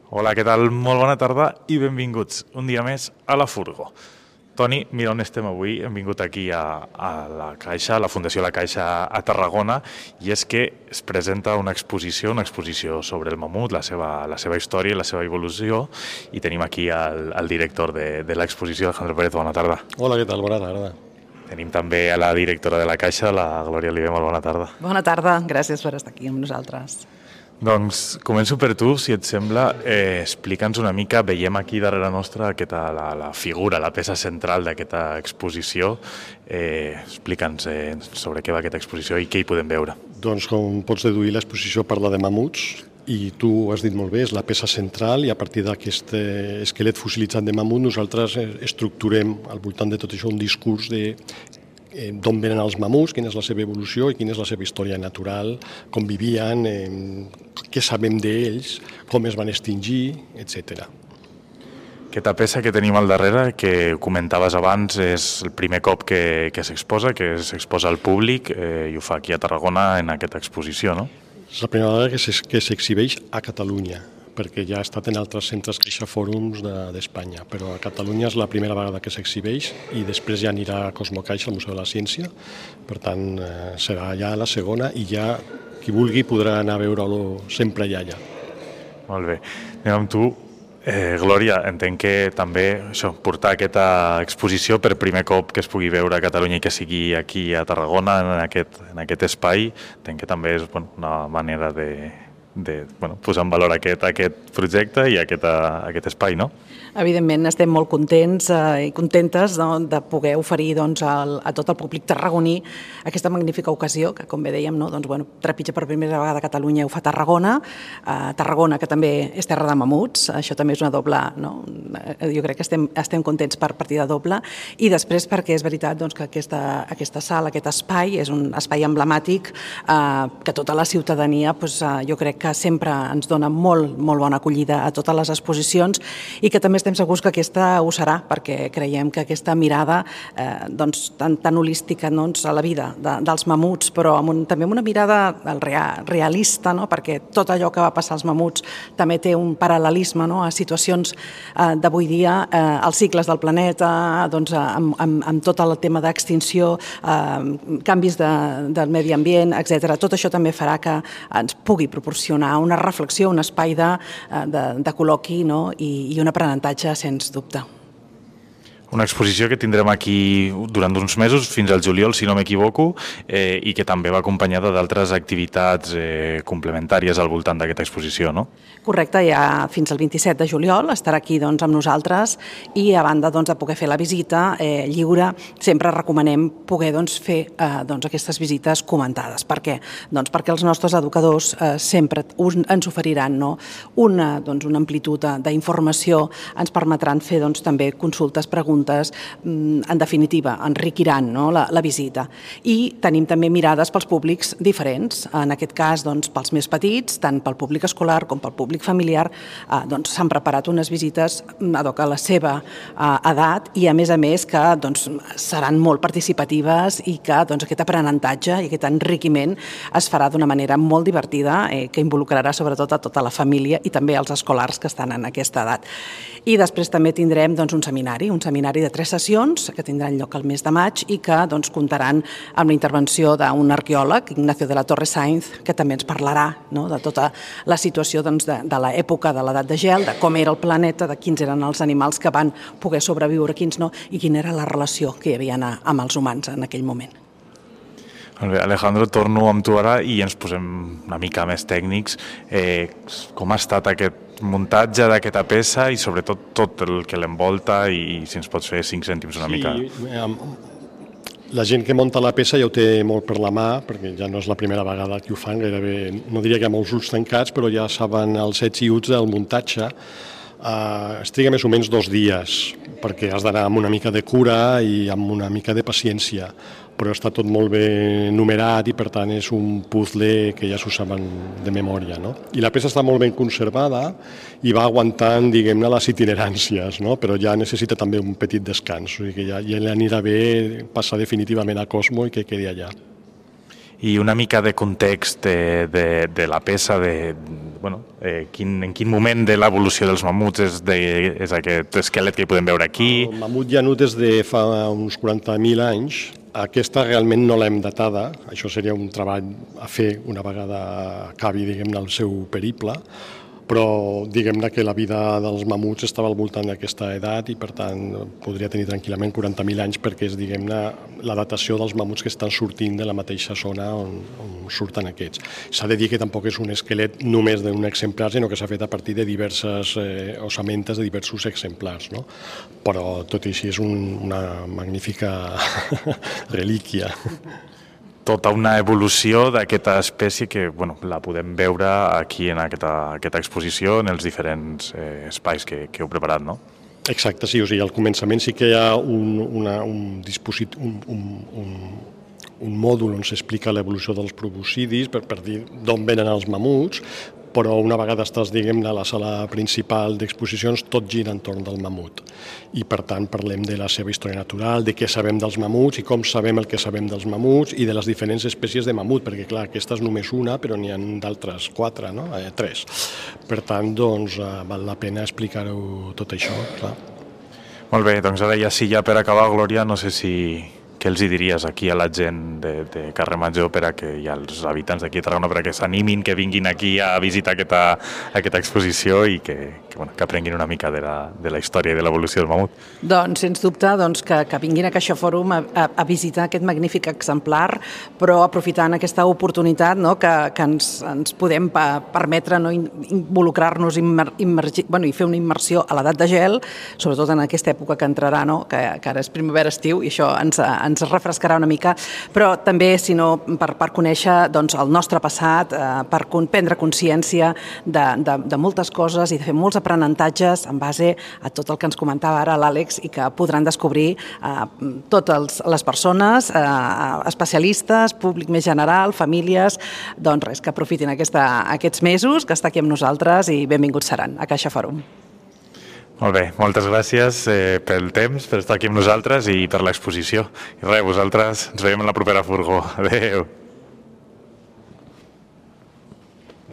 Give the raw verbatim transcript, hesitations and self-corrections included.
Hola, què tal? Molt bona tarda i benvinguts un dia més a la Furgo. Toni, mira on estem avui. Hem vingut aquí a, a la Caixa, a la Fundació La Caixa a Tarragona, i és que es presenta una exposició, una exposició sobre el mamut, la seva, la seva història i la seva evolució, i tenim aquí el, el director de, de l'exposició, Alejandro Pérez. Bona tarda. Hola, què tal? Bona tarda. Tenim també a la directora de la Caixa, la Glòria Oliver. Molt bona tarda. Bona tarda, gràcies per estar aquí amb nosaltres. Doncs començo per tu, si et sembla. Eh, Explica'ns una mica, veiem aquí darrere nostra aquesta, la, la figura, la peça central d'aquesta exposició. Eh, Explica'ns eh, sobre què va aquesta exposició i què hi podem veure. Doncs com pots deduir, l'exposició parla de mamuts i tu ho has dit molt bé, és la peça central, i a partir d'aquest esquelet fossilitzat de mamut nosaltres estructurem al voltant de tot això un discurs de Eh, d'on venen els mamuts, quina és la seva evolució i quina és la seva història natural, com vivien, eh, què sabem d'ells, com es van extingir, etcètera. Aquesta peça que tenim al darrere, que comentaves abans, és el primer cop que, que s'exposa, que s'exposa al públic, eh, i ho fa aquí a Tarragona en aquesta exposició, no? És la primera vegada que s'exhibeix a Catalunya, perquè ja ha estat en altres centres Caixa Fòrums d'Espanya, però a Catalunya és la primera vegada que s'exhibeix i després ja anirà a Cosmocaixa, al Museu de la Ciència, per tant serà ja la segona i ja qui vulgui podrà anar a veure-lo sempre allà. allà. Molt bé. Anem amb tu. Eh, Glòria, entenc que també això, portar aquesta exposició per primer cop que es pugui veure a Catalunya i que sigui aquí a Tarragona, en aquest, en aquest espai, entenc que també és bueno, una manera de... de bueno, posar en valor aquest, aquest projecte i aquest, aquest espai, no? Evidentment, estem molt contents eh, i contentes no, de poder oferir doncs, al, a tot el públic tarragoní aquesta magnífica ocasió, que com bé dèiem, no, doncs, bueno, trepitja per primera vegada a Catalunya, ho fa Tarragona, eh, Tarragona, que també és terra de mamuts, això també és una doble, no? Jo crec que estem, estem contents per partida doble, i després perquè és veritat doncs, que aquesta, aquesta sala, aquest espai, és un espai emblemàtic eh, que tota la ciutadania, doncs, eh, jo crec que sempre ens dona molt, molt bona acollida a totes les exposicions i que també estem segurs que aquesta ho serà, perquè creiem que aquesta mirada eh, doncs, tan, tan holística doncs, a la vida de, dels mamuts, però amb un, també amb una mirada real, realista, no? Perquè tot allò que va passar als mamuts també té un paral·lelisme, no? A situacions eh, d'avui dia, eh, els cicles del planeta, doncs, amb, amb, amb tot el tema d'extinció, eh, canvis de, del medi ambient, etcètera. Tot això també farà que ens pugui proporcionar una reflexió, un espai de, de, de col·loqui, no? I, i un aprenentatge sens dubte. Una exposició que tindrem aquí durant uns mesos, fins al juliol, si no m'equivoco, eh, i que també va acompanyada d'altres activitats eh, complementàries al voltant d'aquesta exposició, no? Correcte, ja fins al vint-i-set de juliol estarà aquí doncs, amb nosaltres i a banda doncs, de poder fer la visita eh, lliure, sempre recomanem poder doncs, fer eh, doncs, aquestes visites comentades. Per què? Doncs perquè els nostres educadors eh, sempre ens oferiran no? una, doncs, una amplitud d'informació, ens permetran fer doncs, també consultes, preguntes, en definitiva, enriquiran no, la, la visita. I tenim també mirades pels públics diferents. En aquest cas, doncs, pels més petits, tant pel públic escolar com pel públic familiar, eh, doncs, s'han preparat unes visites ad hoc a la seva eh, edat i, a més a més, que doncs, seran molt participatives i que doncs, aquest aprenentatge i aquest enriquiment es farà d'una manera molt divertida, eh, que involucrarà sobretot a tota la família i també als escolars que estan en aquesta edat. I després també tindrem doncs, un seminari, un seminari de tres sessions que tindran lloc al mes de maig i que doncs, comptaran amb la intervenció d'un arqueòleg, Ignacio de la Torre Sainz, que també ens parlarà no, de tota la situació doncs, de, de l'època de l'edat de gel, de com era el planeta, de quins eren els animals que van poder sobreviure, quins no, i quina era la relació que hi havia amb els humans en aquell moment. Alejandro, torno amb tu ara i ens posem una mica més tècnics. Eh, com ha estat aquest muntatge d'aquesta peça i sobretot tot el que l'envolta i si ens pots fer cinc cèntims una mica? Sí, la gent que munta la peça ja ho té molt per la mà, perquè ja no és la primera vegada que ho fan, gairebé, no diria que amb els ulls tancats, però ja saben els ets i uts del muntatge. Uh, es triga més o menys dos dies, perquè has d'anar amb una mica de cura i amb una mica de paciència, però està tot molt ben numerat i per tant és un puzzle que ja s'ho saben de memòria. No? I la peça està molt ben conservada i va aguantant, diguem-ne, les itineràncies, no? Però ja necessita també un petit descans, o sigui que ja, ja li anirà bé passar definitivament a Cosmo i que quedi allà. i una mica de context de, de, de la peça, de, bueno, eh, quin, en quin moment de l'evolució dels mamuts és, de, és aquest esquelet que hi podem veure aquí. El mamut llanut és de fa uns quaranta mil anys. Aquesta realment no l'hem datada, això seria un treball a fer una vegada acabi, diguem-ne, el seu periple, però diguem-ne que la vida dels mamuts estava al voltant d'aquesta edat i per tant podria tenir tranquil·lament quaranta mil anys perquè és, diguem-ne, la datació dels mamuts que estan sortint de la mateixa zona on, on surten aquests. S'ha de dir que tampoc és un esquelet només d'un exemplar, sinó que s'ha fet a partir de diverses eh, osamentes de diversos exemplars, no? Però tot i així és un, una magnífica relíquia. Tota una evolució d'aquesta espècie que bueno, la podem veure aquí en aquesta, aquesta exposició, en els diferents eh, espais que, que heu preparat, no? Exacte, sí, o sigui, al començament sí que hi ha un, una, un dispositiu, un, un, un, un mòdul on s'explica l'evolució dels proboscidis per, per dir d'on venen els mamuts, però una vegada estàs, diguem-ne, a la sala principal d'exposicions, tot gira entorn del mamut. I, per tant, parlem de la seva història natural, de què sabem dels mamuts i com sabem el que sabem dels mamuts i de les diferents espècies de mamut, perquè, clar, aquesta és només una, però n'hi ha d'altres quatre, no? Eh, tres. Per tant, doncs, eh, val la pena explicar-ho tot això, clar. Molt bé, doncs ara ja sí, ja per acabar, Glòria, no sé si... Què els hi diries aquí a la gent de, de Carrer Major per a que i als habitants d'aquí a Tarragona per a que s'animin, que vinguin aquí a visitar aquesta, aquesta exposició i que, que, bueno, que aprenguin una mica de la, de la història i de l'evolució del mamut? Doncs, sens dubte, doncs, que, que vinguin a Caixa Fòrum a, a, a visitar aquest magnífic exemplar, però aprofitant aquesta oportunitat, no, que, que ens, ens podem pa, permetre, no, involucrar-nos immer, immergi, bueno, i fer una immersió a l'edat de gel, sobretot en aquesta època que entrarà, no, que, que ara és primavera-estiu i això ens, ens refrescarà una mica, però també, si no, per, per conèixer doncs, el nostre passat, eh, per prendre consciència de, de, de moltes coses i de fer molts aprenentatges en base a tot el que ens comentava ara l'Àlex i que podran descobrir eh, totes les persones, eh, especialistes, públic més general, famílies, doncs res, que aprofitin aquesta, aquests mesos que està aquí amb nosaltres i benvinguts seran a Caixa Fòrum. Molt bé, moltes gràcies eh, pel temps, per estar aquí amb nosaltres i per l'exposició. I res, vosaltres ens veiem en la propera furgó. Adéu.